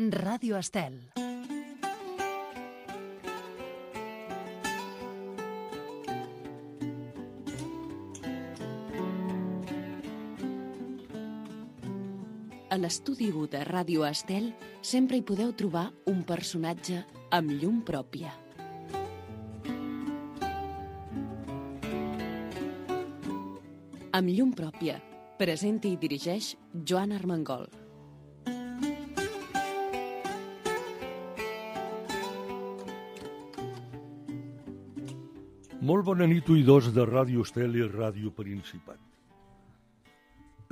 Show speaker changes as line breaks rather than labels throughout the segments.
Ràdio Estel. A l'estudi 1 de Ràdio Estel sempre hi podeu trobar un personatge amb llum pròpia. Amb llum pròpia, presenta i dirigeix Joan Armengol.
Molt bona nit, oïdors de Ràdio Estel i Ràdio Principat.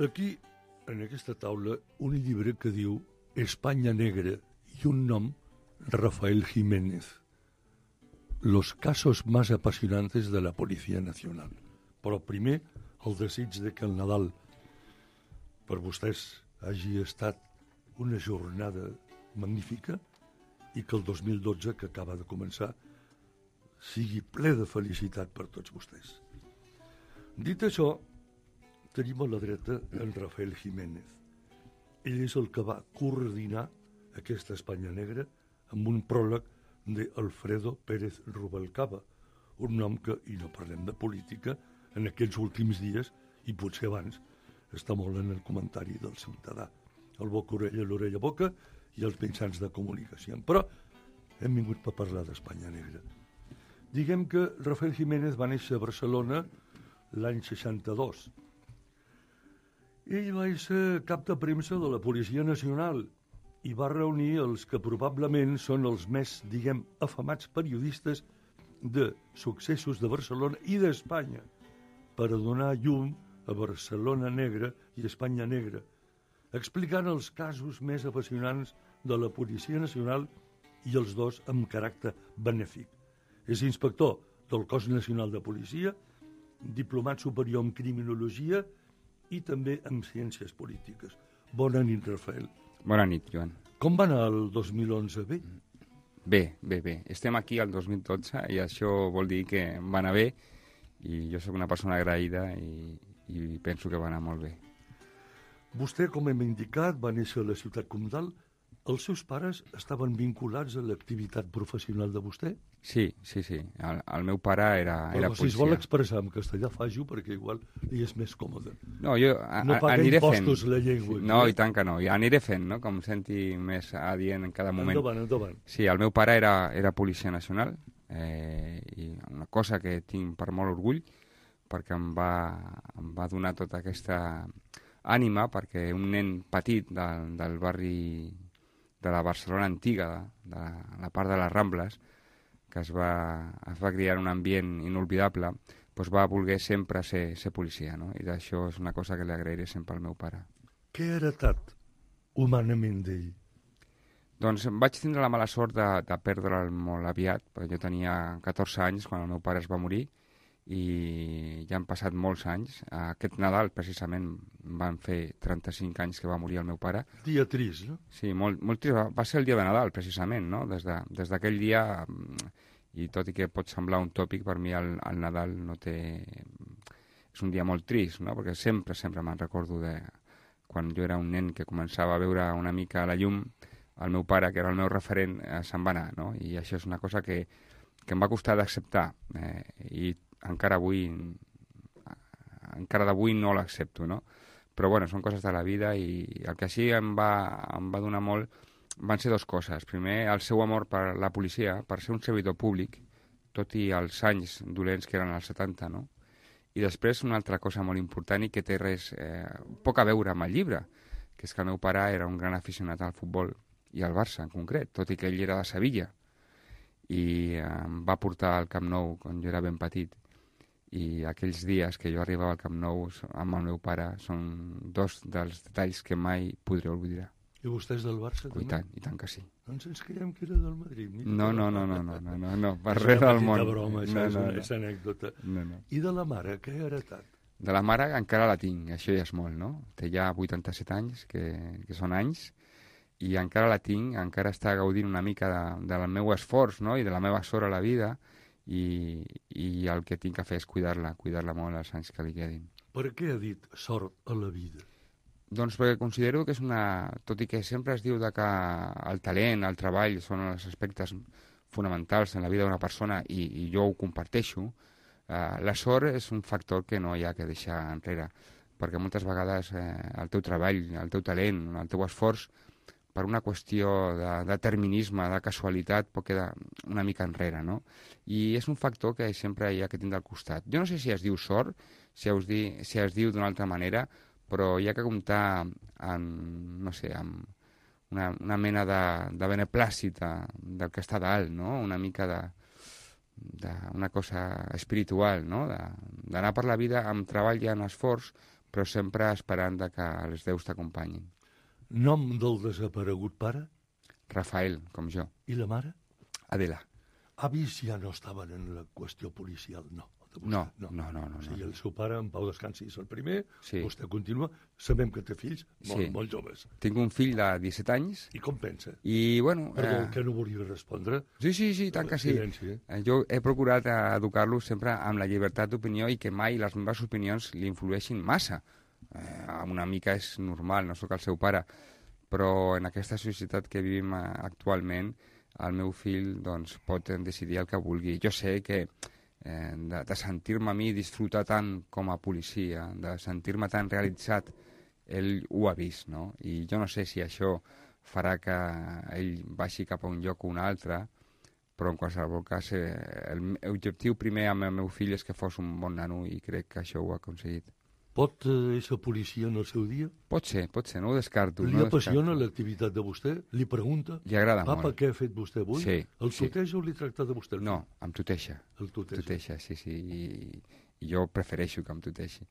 Aquí, en aquesta taula, un llibre que diu Espanya Negra i un nom, Rafael Jiménez. Los casos más apasionantes de la Policía Nacional. Però primer, el desig de que el Nadal per vostès hagi estat una jornada magnífica i que el 2012, que acaba de començar, sigui ple de felicitat per tots vostès. Dit això, tenim a la dreta en Rafael Jiménez. Ell és el que va coordinar aquesta Espanya Negra amb un pròleg d'Alfredo Pérez Rubalcaba, un nom que, i no parlem de política, en aquests últims dies, i potser abans, està molt en el comentari del ciutadà. El boca-orella, l'orella-boca i els mitjans de comunicació. Però hem vingut per parlar d'Espanya Negra. Diguem que Rafael Jiménez va néixer a Barcelona l'any 62. Ell va ser cap de premsa de la Policia Nacional i va reunir els que probablement són els més, diguem, afamats periodistes de successos de Barcelona i d'Espanya per a donar llum a Barcelona Negra i Espanya Negra, explicant els casos més apassionants de la Policia Nacional i els dos amb caràcter benèfic. És inspector del Cos Nacional de Policia, diplomat superior en Criminologia i també en Ciències Polítiques. Bona nit, Rafael.
Bona nit, Joan.
Com va anar el 2011? Bé?
Bé. Estem aquí al 2012 i això vol dir que va anar bé i jo sóc una persona agraïda i penso que va anar molt bé.
Vostè, com hem indicat, va néixer a la ciutat comtal. Els seus pares estaven vinculats a l'activitat professional de vostè?
Sí. El meu pare era
policia. Si es vol expressar en castellà, faci-ho, perquè igual li és més còmode.
No, jo
no paga
aniré
impostos
fent.
La llengua.
No, i tant que no. I aniré fent, no? Com senti més adient en cada moment.
Endavant.
Sí, el meu pare era policia nacional i una cosa que tinc per molt orgull, perquè em va donar tota aquesta ànima, perquè un nen petit del barri de la Barcelona antiga, de la part de les Rambles, que es va criar en un ambient inolvidable, doncs va voler sempre ser policia, no? I d'això és una cosa que li agrairé sempre al meu pare.
Què ha heretat humanament d'ell?
Doncs vaig tindre la mala sort de perdre'l molt aviat, perquè jo tenia 14 anys quan el meu pare es va morir, i ja han passat molts anys. Aquest Nadal, precisament, van fer 35 anys que va morir el meu pare.
Dia trist, no?
Sí, molt trist. Va ser el dia de Nadal, precisament, no? Des d'aquell dia, i tot i que pot semblar un tòpic, per mi el Nadal no té... És un dia molt trist, no? Perquè sempre me'n recordo de quan jo era un nen que començava a veure una mica la llum, el meu pare, que era el meu referent, se'n va anar, no? I això és una cosa que em va costar d'acceptar, i encara d'avui no l'accepto, no? Però bueno, són coses de la vida i el que sí em va donar molt van ser dues coses. Primer, el seu amor per la policia, per ser un servidor públic, tot i els anys dolents que eren els 70, no? I després una altra cosa molt important i que té poc a veure amb el llibre, que és que el meu pare era un gran aficionat al futbol i al Barça en concret, tot i que ell era de Sevilla. I em va portar al Camp Nou quan jo era ben petit. I aquells dies que jo arribava al Camp Nou amb el meu pare són dos dels detalls que mai podré oblidar.
I vostè és del Barça, també?
I tant que sí.
Doncs ens creiem que era del Madrid.
No, per res del món.
És una broma, això és anècdota.
No.
I de la mare, què ha heretat?
De la mare encara la tinc, això ja és molt, no? Té ja 87 anys, que són anys, i encara la tinc, encara està gaudint una mica del meu esforç, no? I de la meva sort a la vida, i el que tinc que fer és cuidar-la molt els anys que li quedin.
Per què ha dit sort a la vida?
Doncs perquè considero que és tot i que sempre es diu que el talent, el treball són els aspectes fonamentals en la vida d'una persona i jo ho comparteixo, la sort és un factor que no hi ha que deixar enrere, perquè moltes vegades el teu treball, el teu talent, el teu esforç, per una qüestió de determinisme, de casualitat, pot quedar una mica enrere, no? I és un factor que sempre hi ha que tindre al costat. Jo no sé si es diu sort, si es diu d'una altra manera, però hi ha que comptar amb, no sé, amb una mena de beneplàcit del que està dalt, no? Una mica d'una cosa espiritual, no? D'anar per la vida amb treball i amb esforç, però sempre esperant que els déus t'acompanyin.
Nom del desaparegut pare?
Rafael, com jo.
I la mare?
Adela.
Avis ja no estaven en la qüestió policial, no.
No.
O sigui, el seu pare, en Pau Descansi, és el primer,
sí.
Vostè continua, sabem que té fills molt joves.
Tinc un fill de 17 anys.
I com pensa?
I, bueno...
Perdó, que no volia respondre?
Sí, tant que sí. Jo he procurat educar-lo sempre amb la llibertat d'opinió i que mai les meves opinions li influeixin massa. Una mica és normal, no sóc el seu pare, però en aquesta societat que vivim actualment, el meu fill doncs, pot decidir el que vulgui. Jo sé que de sentir-me a mi disfrutar tant com a policia, de sentir-me tan realitzat, ell ho ha vist, no? I jo no sé si això farà que ell baixi cap a un lloc o un altre, però en qualsevol cas l'objectiu primer amb el meu fill és que fos un bon nano i crec que això ho ha aconseguit.
Pot ser policia en el seu dia?
Pot ser, no ho descarto.
Li apassiona l'activitat de vostè? Li pregunta?
Li agrada molt.
Papa, què ha fet vostè avui?
Sí.
El tuteja o li tracta de vostè?
No, em tuteja.
El tuteja.
Tuteja, sí. I jo prefereixo que em tuteixi.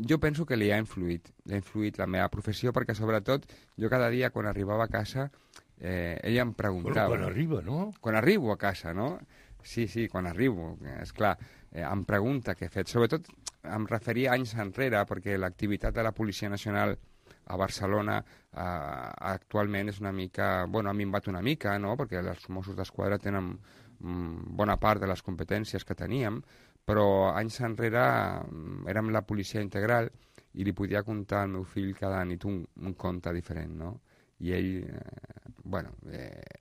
Jo penso que li ha influït la meva professió, perquè sobretot jo cada dia quan arribava a casa ell em preguntava...
Bueno, quan arriba, no?
Quan arribo a casa, no? Sí, quan arribo, esclar, em pregunta què he fet. Sobretot em referia anys enrere, perquè l'activitat de la Policia Nacional a Barcelona actualment és una mica... Bueno, ha minvat una mica, no?, perquè els Mossos d'Esquadra tenen bona part de les competències que teníem, però anys enrere érem la policia integral i li podia contar al meu fill cada nit un conte diferent, no? I ell,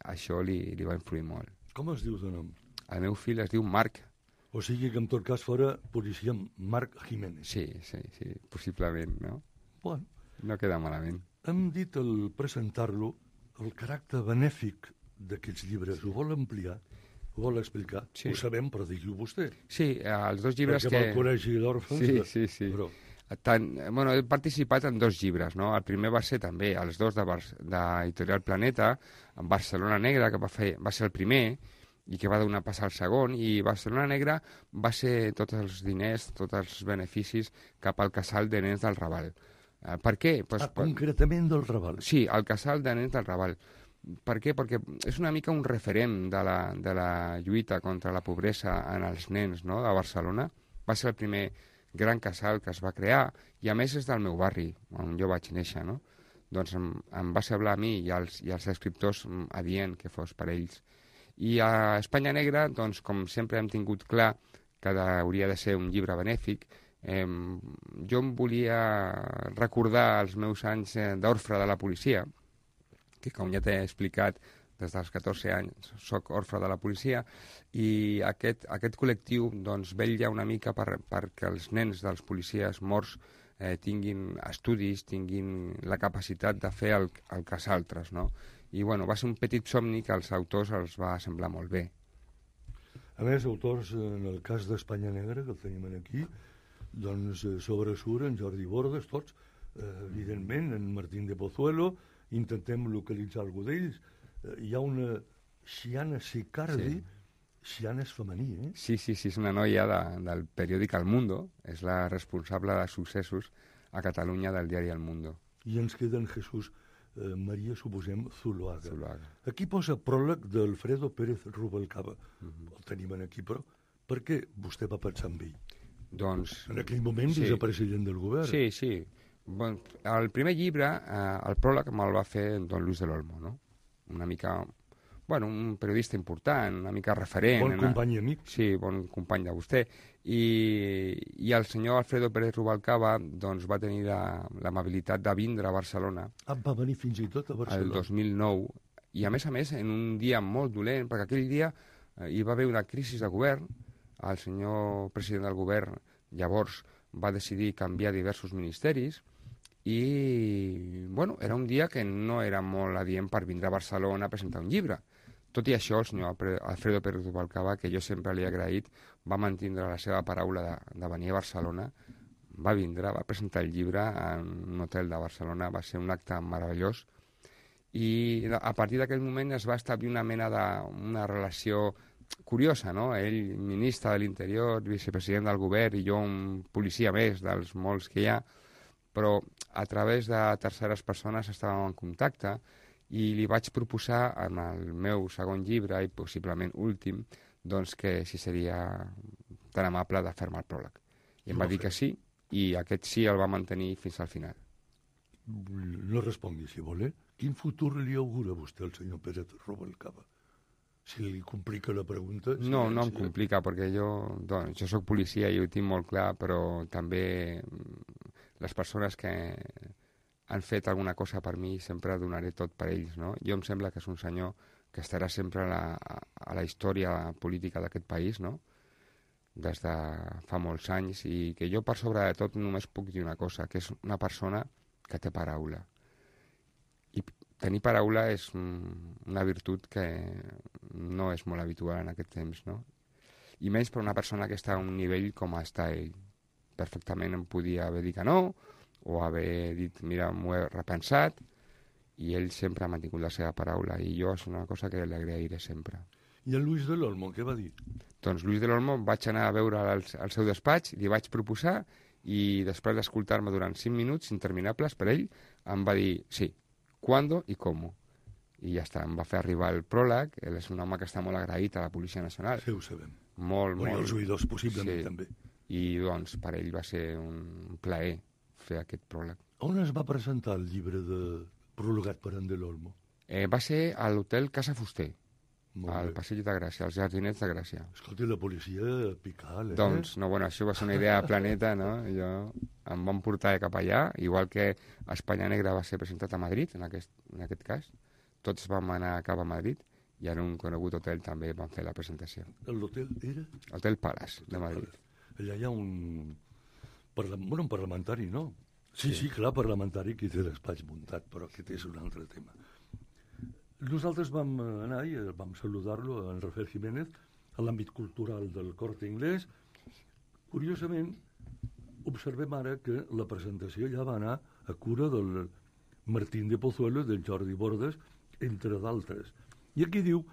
això li va influir molt.
Com es diu de nom?
El meu fill es diu Marc.
O sigui que en tot cas fora policia Marc Jiménez.
Sí, possiblement, no?
Bueno.
No queda malament.
Hem dit al presentar-lo el caràcter benèfic d'aquests llibres. Ho vol ampliar? Ho vol explicar?
Sí.
Ho sabem, però digui-ho vostè.
Sí, els dos llibres
perquè el Col·legi d'Òrfans...
Sí.
Però...
he participat en 2 llibres, no? El primer va ser també els 2 d'Editorial Planeta, en Barcelona Negra, que va ser el primer, i que va donar pas al segon, i Barcelona Negra va ser tots els diners, tots els beneficis cap al casal de nens del Raval. Per què?
Concretament del Raval.
Sí, al casal de nens del Raval. Per què? Perquè és una mica un referent de la lluita contra la pobresa en els nens, no?, de Barcelona. Va ser el primer gran casal que es va crear, i a més és del meu barri, on jo vaig néixer, no? Doncs em va semblar a mi i als escriptors adient que fos per ells. I a Espanya Negra, doncs, com sempre hem tingut clar que hauria de ser un llibre benèfic, jo em volia recordar els meus anys d'orfre de la policia, que com ja t'he explicat, des dels 14 anys soc orfe de la policia, i aquest col·lectiu doncs, vetlla una mica perquè els nens dels policies morts tinguin estudis, tinguin la capacitat de fer el que els altres, no? I bueno, va ser un petit somni que als autors els va semblar molt bé.
A més, autors, en el cas d'Espanya Negra, que el tenim aquí, doncs sobresurt en Jordi Bordes, tots, evidentment, en Martín de Pozuelo, intentem localitzar algú d'ells. Hi ha una Xiana Sicardi, Xiana és femení, eh?
Sí, és una noia del periòdic El Mundo, és la responsable de successos a Catalunya del diari El Mundo.
I ens queda en Jesús Maria, suposem, Zuluaga. Aquí posa pròleg d'Alfredo Pérez Rubalcaba. El tenim aquí, però per què vostè va pensar en ell?
Doncs...
En aquell moment vicepresident del govern.
Sí. Bon, el primer llibre, el pròleg me'l va fer don Luis del Olmo, no? Una mica bueno, un periodista important, una mica referent.
Bon company i amic.
Sí, bon company de vostè. I el senyor Alfredo Pérez Rubalcaba doncs, va tenir l'amabilitat de vindre a Barcelona.
Va venir fins i tot a Barcelona.
El 2009. I a més, en un dia molt dolent, perquè aquell dia hi va haver una crisi de govern. El senyor president del govern llavors va decidir canviar diversos ministeris i, bueno, era un dia que no era molt adient per vindre a Barcelona a presentar un llibre. Tot i això, el senyor Alfredo Pérez Rubalcaba, que jo sempre li he agraït, va mantindre la seva paraula de venir a Barcelona, va vindre, va presentar el llibre en un hotel de Barcelona, va ser un acte meravellós, i a partir d'aquell moment es va establir una mena una relació curiosa, no? Ell, ministre de l'Interior, vicepresident del govern, i jo un policia més dels molts que hi ha, però a través de terceres persones estàvem en contacte i li vaig proposar en el meu segon llibre, i possiblement últim, doncs que si seria tan amable de fer-me el pròleg. I em va dir que sí, i aquest sí el va mantenir fins al final.
No respongui, si vol, Quin futur li augura vostè al senyor Pérez Rubalcaba? Si li complica la pregunta...
No em complica, perquè jo soc policia i ho tinc molt clar, però també les persones que han fet alguna cosa per mi sempre donaré tot per ells, no? Jo em sembla que és un senyor que estarà sempre a la història política d'aquest país, no? Des de fa molts anys, i que jo per sobre de tot només puc dir una cosa, que és una persona que té paraula. I tenir paraula és una virtut que no és molt habitual en aquest temps, no? I menys per una persona que està a un nivell com està ell. Perfectament em podia haver dit que no, o haver dit, mira, m'ho he repensat, i ell sempre ha mantingut la seva paraula, i jo és una cosa que li agrairé sempre.
I en Luis del Olmo, què va dir?
Doncs Luis del Olmo vaig anar a veure al seu despatx, li vaig proposar, i després d'escoltar-me durant 5 minuts interminables per ell, em va dir sí, ¿cuándo y cómo? I ja està, em va fer arribar el pròleg. Ell és un home que està molt agraït a la Policia Nacional.
Sí, ho sabem.
Molt.
I els oïdors, possiblement, sí. També.
I, doncs, per ell va ser un plaer fer aquest pròleg.
On es va presentar el llibre prologat per en del Olmo?
Va ser a l'hotel Casa Fuster, al Passeig de Gràcia, als Jardinets de Gràcia.
Escolti, la policia pical,
Doncs, no, bueno, això va ser una idea de Planeta, no? Em van portar cap allà, igual que Espanya Negra va ser presentat a Madrid, en aquest cas. Tots vam anar cap a Madrid, i en un conegut hotel també vam fer la presentació.
L'hotel era?
Hotel Palace, de Madrid.
Allà hi ha un parlamentari, no? Sí, clar, parlamentari, que té despatx muntat, però aquest és un altre tema. Nosaltres vam anar i vam saludar-lo, en Rafael Jiménez, a l'àmbit cultural del Corte Inglés. Curiosament, observem ara que la presentació ja va anar a cura del Martín de Pozuelo i del Jordi Bordes, entre d'altres. Y aquí diu,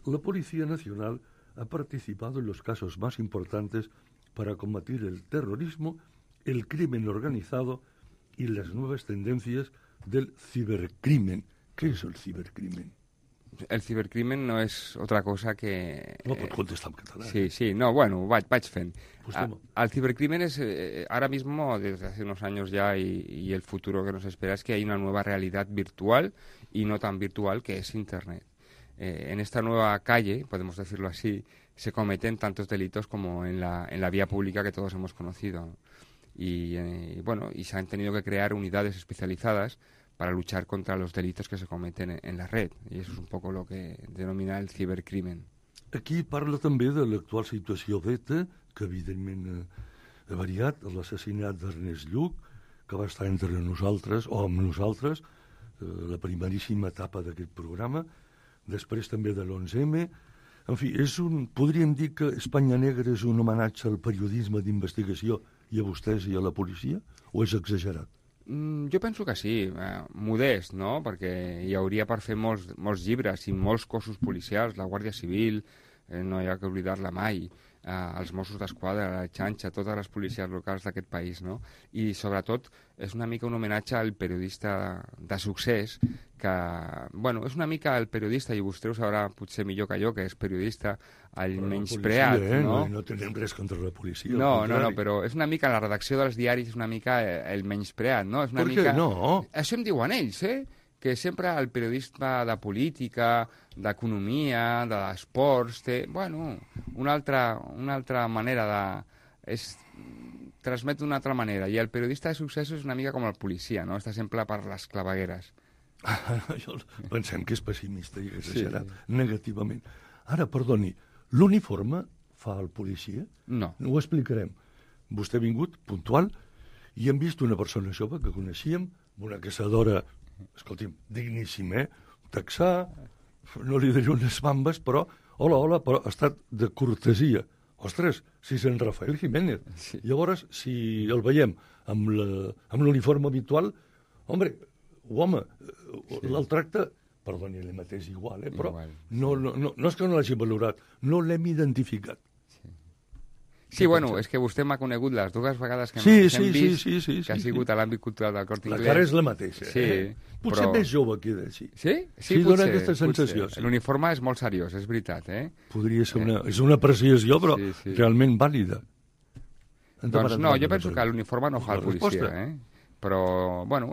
la Policía Nacional ha participado en los casos más importantes para combatir el terrorismo, el crimen organizado y las nuevas tendencias del cibercrimen. ¿Qué es el cibercrimen?
El cibercrimen no és otra cosa que...
No pot contestar en català.
Sí, no, bueno, vaig fent. El cibercrimen es, ahora mismo, desde hace unos años ya, y el futuro que nos espera es que hay una nueva realidad virtual y no tan virtual, que es Internet. En esta nueva calle, podemos decirlo así, se cometen tantos delitos como en la vía pública que todos hemos conocido. Y se han tenido que crear unidades especializadas para luchar contra los delitos que se cometen en la red. I això és un poco lo que denomina el cibercrimen.
Aquí parla també de l'actual situació d'ETA, que evidentment ha variat, l'assassinat d'Ernest Lluch, que va estar entre nosaltres, o amb nosaltres, la primeríssima etapa d'aquest programa, després també de l'11M. En fi, podríem dir que Espanya Negra és un homenatge al periodisme d'investigació i a vostès i a la policia, o és exagerat?
Jo penso que sí, modest, no? Perquè hi hauria per fer molts llibres i molts cossos policials, la Guàrdia Civil, no hi ha que oblidar-la mai, els Mossos d'Esquadra, la xanxa, totes les policies locals d'aquest país, no? I sobretot és una mica un homenatge al periodista de succés, que, bueno, és una mica el periodista, i vostè ho sabrà potser millor que jo, que és periodista, el menyspreat, no?
No tenim res contra la policia.
No, però és una mica, la redacció dels diaris és una mica el menyspreat, no? És una mica...
No?
Això em diuen ells, que sempre el periodista de política, d'economia, d'esports, té, bueno, una altra manera de... transmet d'una altra manera. I el periodista de successos és una mica com el policia, no? Està sempre per les clavegueres.
Pensem que és pessimista i exagerat negativament. Ara, perdoni, l'uniforme fa el policia?
No.
Ho explicarem. Vostè ha vingut, puntual, i hem vist una persona jove que coneixíem, una caçadora, escolti'm, digníssima, texà, no li diré unes bambes, però, hola, però ha estat de cortesia. Ostres, si és en Rafael Jiménez. Sí. Llavors, si el veiem amb l'uniforme habitual, home, el tracte, perdoni, el mateix igual, però igual. No és que no l'hagi valorat, no l'hem identificat.
Sí, bueno, és que vostè m'ha conegut les dues vegades que hem vist, que ha sigut a l'àmbit cultural del Corte Inglés.
La cara és la mateixa, Potser més jove queda així.
Sí?
Sí, dona aquesta sensació.
L'uniforme és molt seriós, és veritat,
Podria ser una apreciació, però realment vàlida.
Doncs no, jo penso que l'uniforme no fa el policia, Però, bueno,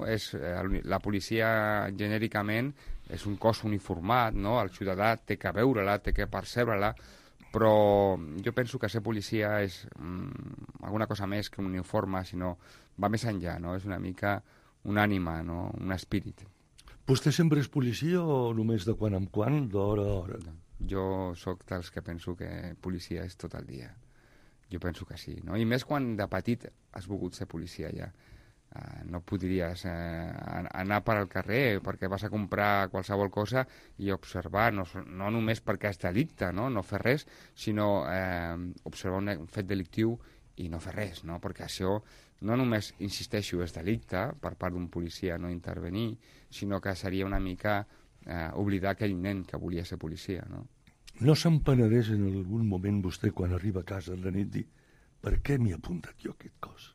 la policia genèricament és un cos uniformat, no? El ciutadà té que veure-la, té que percebre-la, però jo penso que ser policia és alguna cosa més que un uniforme, sinó va més enllà, no? És una mica una ànima, no? Un espírit.
Vostè sempre és policia o només de quan en quan, d'hora a hora?
Jo sóc dels que penso que policia és tot el dia. Jo penso que sí, no? I més quan de petit has volgut ser policia ja. No podries anar per al carrer perquè vas a comprar qualsevol cosa i observar, no només perquè és delicte, no fer res, sinó observar un fet delictiu i no fer res, no? Perquè això no només, insisteixo, és delicte per part d'un policia no intervenir, sinó que seria una mica oblidar aquell nen que volia ser policia, no?
No se'n penedeix en algun moment vostè quan arriba a casa a la nit dir per què m'he apuntat jo aquest cos?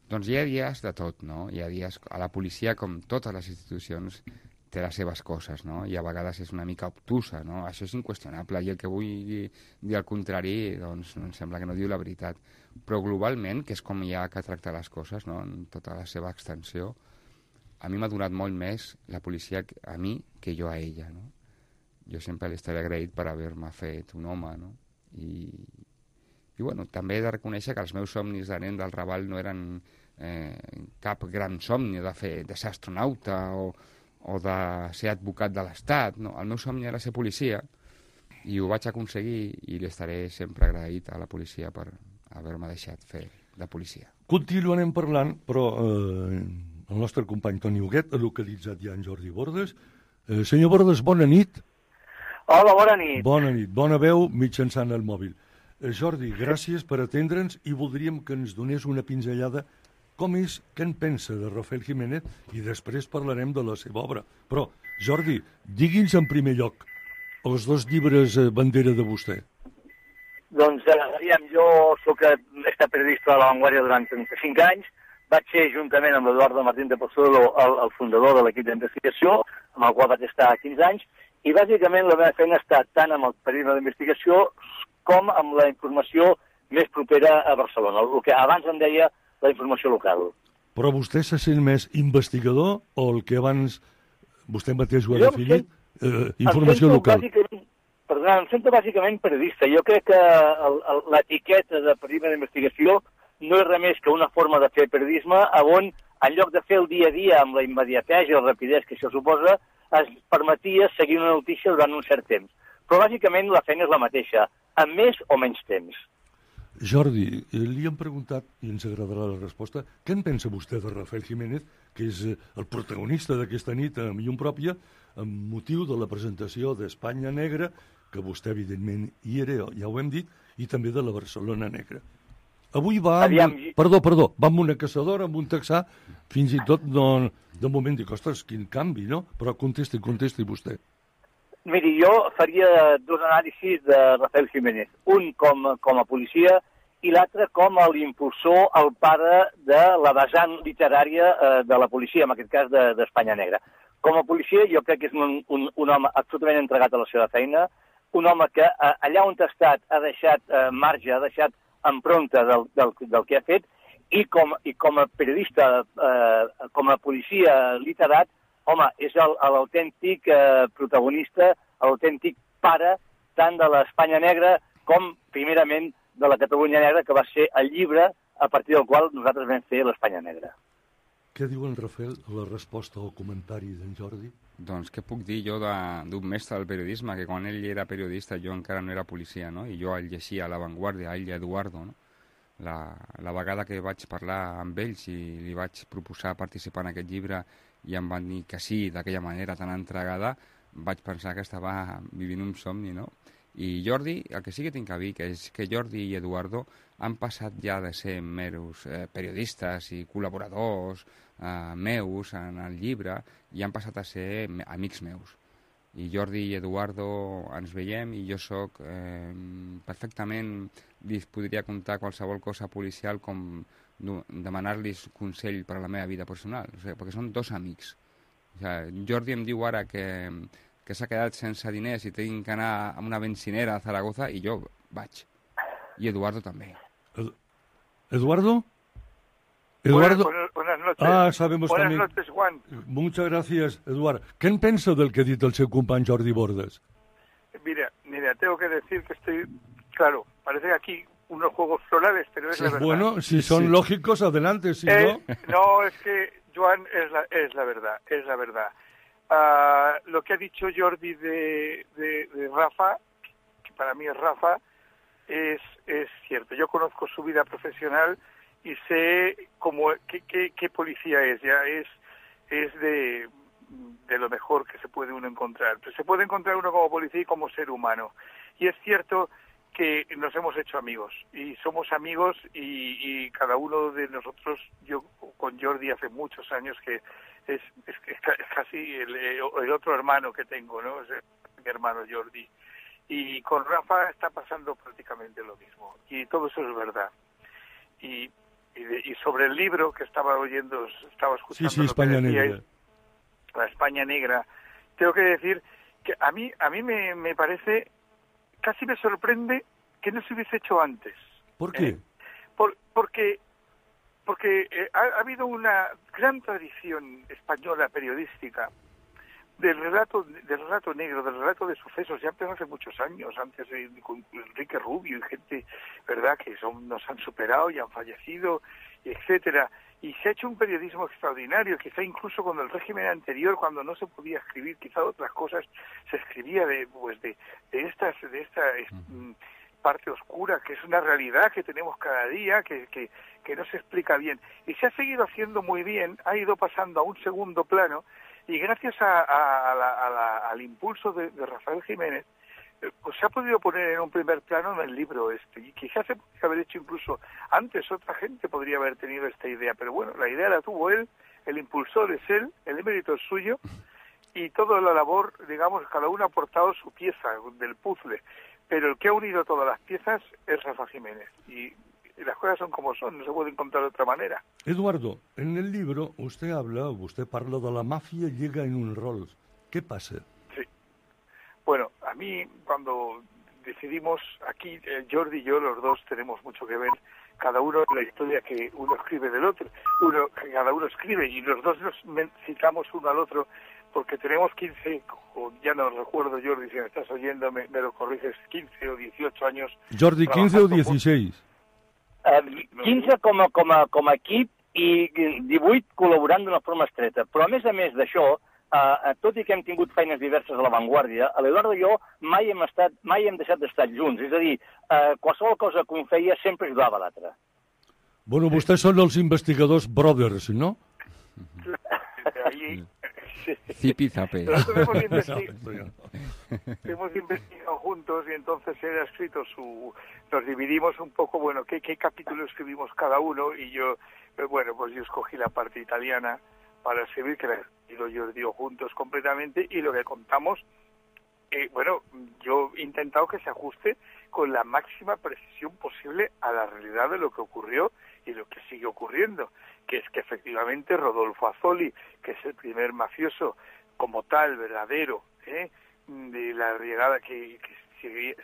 Doncs hi ha dies de tot, no? Hi ha dies... A la policia, com totes les institucions, té les seves coses, no? I a vegades és una mica obtusa, no? Això és inqüestionable. I el que vull dir al contrari, doncs, em sembla que no diu la veritat. Però globalment, que és com hi ha que tractar les coses, no? En tota la seva extensió, a mi m'ha donat molt més la policia a mi que jo a ella, no? Jo sempre li estaré agraït per haver-me fet un home, no? I bueno, també he de reconèixer que els meus somnis de nen del Raval no eren cap gran somni de ser astronauta o de ser advocat de l'Estat, no? El meu somni era ser policia i ho vaig aconseguir i li estaré sempre agraït a la policia per haver-me deixat fer de policia.
Continuarem parlant, però el nostre company Toni Huguet ha localitzat ja en Jordi Bordes. Senyor Bordes, bona nit.
Hola, bona nit.
Bona nit, bona veu mitjançant el mòbil. Jordi, gràcies per atendre'ns i voldríem que ens donés una pinzellada com és, què en pensa de Rafael Jiménez i després parlarem de la seva obra. Però, Jordi, digui'ns en primer lloc els dos llibres bandera de vostè.
Doncs, jo soc periodista de La Vanguardia durant 35 anys, vaig ser juntament amb l'Eduardo Martín de Pozuelo el fundador de l'equip d'investigació, amb el qual vaig estar 15 anys, i bàsicament la meva feina ha estat tant amb el periodisme d'investigació com amb la informació més propera a Barcelona, el que abans en deia la informació local.
Però vostè se sent més investigador o el que abans vostè mateix ho ha definit, informació local?
Em sento bàsicament periodista. Jo crec que l'etiqueta de periodisme d'investigació no és res més que una forma de fer periodisme on, en lloc de fer el dia a dia amb la immediatesa i la rapidesa que això suposa, es permetia seguir una notícia durant un cert temps. Però bàsicament la feina és la mateixa, amb més o menys temps.
Jordi, li hem preguntat, i ens agradarà la resposta, què en pensa vostè de Rafael Jiménez, que és el protagonista d'aquesta nit a Llum Pròpia, amb motiu de la presentació d'Espanya Negra, que vostè evidentment hi era, ja ho hem dit, i també de la Barcelona Negra. Avui va amb... Perdó, va amb una caçadora, amb un texà, fins i tot de moment dic, ostres, quin canvi, no? Però contesti vostè.
Miri, jo faria dos anàlisis de Rafael Jiménez. Un com a policia i l'altre com a l'impulsor, el pare de la vessant literària de la policia, en aquest cas d'Espanya Negra. Com a policia jo crec que és un home absolutament entregat a la seva feina, un home que allà on ha estat ha deixat marge, ha deixat empremta del que ha fet, i com a periodista, com a policia literat, home, és l'autèntic protagonista, l'autèntic pare tant de l'Espanya negra com, primerament, de la Catalunya negra, que va ser el llibre a partir del qual nosaltres vam fer l'Espanya negra.
Què diu en Rafael a la resposta al comentari d'en Jordi?
Doncs què puc dir jo d'un mestre del periodisme, que quan ell era periodista jo encara no era policia, no? I jo el llegia a La Vanguardia, a ell i a Eduardo, no? La vegada que vaig parlar amb ells i li vaig proposar participar en aquest llibre i em van dir que sí, d'aquella manera tan entregada, vaig pensar que estava vivint un somni, no? I Jordi, el que sí que tinc a dir que és que Jordi i Eduardo han passat ja de ser meros periodistes i col·laboradors meus en el llibre i han passat a ser amics meus. I Jordi i Eduardo ens veiem i jo sóc perfectament, li podria contar qualsevol cosa policial com demanar-los consell per a la meva vida personal, o sigui, perquè són dos amics. O sigui, Jordi em diu ara que s'ha quedat sense diners i tinc que anar a una bencinera a Zaragoza i jo vaig. I Eduardo també.
¿Eduardo?
Buenas noches.
Sabemos
Buenas
también.
noches, Juan.
Muchas gracias, Eduardo. ¿Qué pensa del que ha dit el seu company Jordi Bordes?
Mira, tengo que decir que estoy... Claro, parece que aquí unos juegos florales, pero es la verdad.
Bueno, si son lógicos, adelante, si no...
No, es que, Joan, es la verdad, es la verdad. Lo que ha dicho Jordi de Rafa, que para mí es Rafa, es cierto. Yo conozco su vida profesional y sé qué policía es. Ya es de lo mejor que se puede uno encontrar. Pero se puede encontrar uno como policía y como ser humano. Y es cierto que nos hemos hecho amigos y somos amigos y cada uno de nosotros, yo con Jordi hace muchos años que es casi el otro hermano que tengo, ¿no? Es mi hermano Jordi. Y con Rafa está pasando prácticamente lo mismo. Y todo eso es verdad. Y sobre el libro que estaba escuchando
sí, España Negra.
La España Negra, tengo que decir que a mí me parece, casi me sorprende que no se hubiese hecho antes.
¿Por qué?
Porque ha habido una gran tradición española periodística del relato negro, del relato de sucesos, ya empezó hace muchos años, antes con Enrique Rubio y gente, ¿verdad?, que nos han superado y han fallecido, etcétera. Y se ha hecho un periodismo extraordinario, quizá incluso con el régimen anterior, cuando no se podía escribir, quizá otras cosas, se escribía de esta parte oscura, que es una realidad que tenemos cada día, que no se explica bien. Y se ha seguido haciendo muy bien, ha ido pasando a un segundo plano, y gracias al impulso de Rafael Jiménez, pues se ha podido poner en un primer plano en el libro este, y quizás se podría haber hecho incluso antes, otra gente podría haber tenido esta idea, pero bueno, la idea la tuvo él, el impulsor es él, el mérito es suyo, y toda la labor, digamos, cada uno ha aportado su pieza del puzzle, pero el que ha unido todas las piezas es Rafa Jiménez, y las cosas son como son, no se puede encontrar de otra manera.
Eduardo, en el libro usted parla de la mafia llega en un rol. ¿Qué pasa?
Sí. Bueno, a mí cuando decidimos aquí, Jordi y yo, los dos tenemos mucho que ver, cada uno en la historia que uno escribe del otro, cada uno escribe y los dos nos citamos uno al otro porque tenemos 15, ya no recuerdo, Jordi, si me estás oyendo, me lo corriges, 15 o 18 años.
Jordi, 15 o 16?
15 com a equip i 18 col·laborant d'una forma estreta. Però a més d'això, tot i que hem tingut feines diverses a La Vanguardia, l'Eduardo i jo mai hem deixat d'estar junts. És a dir, qualsevol cosa que un feia sempre ajudava l'altre.
Bueno, vostès són els investigadors brothers, ¿no?
Ahí...
Zipi zape.
Nosotros hemos investigado juntos y entonces él ha escrito nos dividimos un poco, bueno, qué capítulo escribimos cada uno y yo, bueno, pues yo escogí la parte italiana para escribir, que la yo digo juntos completamente, y lo que contamos, bueno, yo he intentado que se ajuste con la máxima precisión posible a la realidad de lo que ocurrió y lo que sigue ocurriendo, que es que efectivamente Rodolfo Azzoli, que es el primer mafioso como tal, verdadero, de la llegada que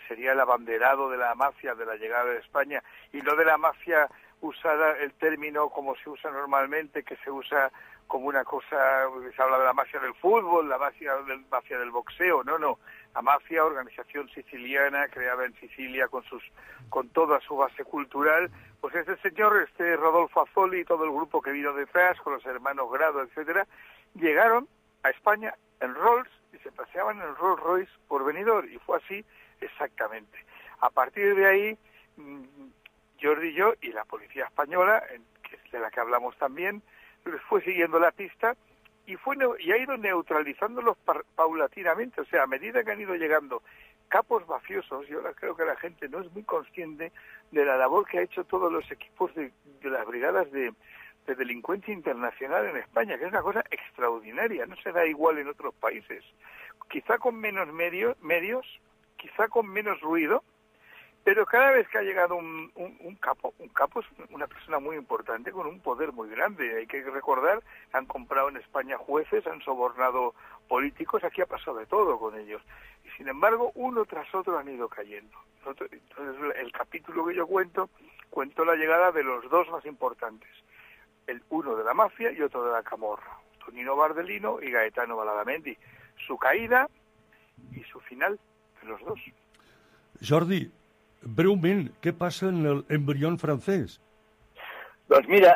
sería el abanderado de la mafia de la llegada de España, y no de la mafia usar el término como se usa normalmente, que se usa como una cosa, se habla de la mafia del fútbol, la mafia del boxeo, no. La mafia, organización siciliana, creada en Sicilia con toda su base cultural, pues este señor, Rodolfo Azzoli y todo el grupo que vino detrás, con los hermanos Grado, etcétera, llegaron a España en Rolls y se paseaban en Rolls Royce por Benidorm, y fue así exactamente. A partir de ahí, Jordi y yo y la policía española, que es de la que hablamos también, les fue siguiendo la pista y ha ido neutralizándolos paulatinamente. O sea, a medida que han ido llegando capos mafiosos, y ahora creo que la gente no es muy consciente de la labor que ha hecho todos los equipos de las brigadas de delincuencia internacional en España, que es una cosa extraordinaria, no se da igual en otros países. Quizá con menos medios, quizá con menos ruido, pero cada vez que ha llegado un capo es una persona muy importante, con un poder muy grande. Hay que recordar, han comprado en España jueces, han sobornado políticos, aquí ha pasado de todo con ellos. Y sin embargo, uno tras otro han ido cayendo. Entonces, el capítulo que yo cuento la llegada de los dos más importantes. Uno de la mafia y otro de la camorra. Tonino Bardelino y Gaetano Badalamenti. Su caída y su final de los dos.
Jordi, breument, què passa en l'embrión francès?
Doncs mira,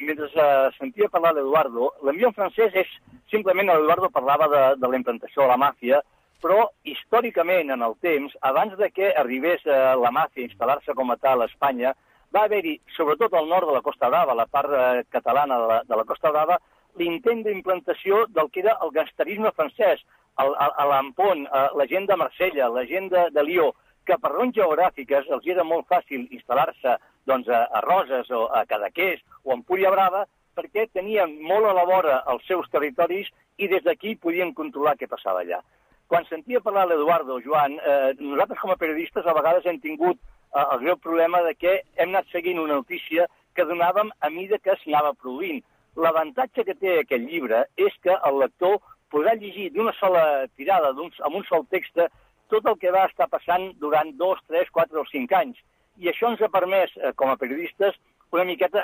mentre sentia parlar l'Eduardo, l'embrió francès és simplement, l'Eduardo parlava de la implantació de la màfia, però històricament en el temps, abans de que arribés la màfia a instal·lar-se com a tal a Espanya, va haver-hi, sobretot al nord de la Costa Brava, la part catalana de la Costa Brava, l'intent d'implantació del que era el gangsterisme francès, a l'Ampon, la gent de Marsella, la gent de Lió, que per raons geogràfiques els era molt fàcil instal·lar-se doncs, a Roses o a Cadaqués o a Empúria Brava, perquè tenien molt a la vora els seus territoris i des d'aquí podien controlar què passava allà. Quan sentia parlar l'Eduardo, Joan, nosaltres com a periodistes a vegades hem tingut el greu problema de que hem anat seguint una notícia que donàvem a mida que s'anava produint. L'avantatge que té aquest llibre és que el lector podrà llegir d'una sola tirada, amb un sol text, tot el que va estar passant durant 2, 3, 4 o 5 anys. I això ens ha permès, com a periodistes, una miqueta,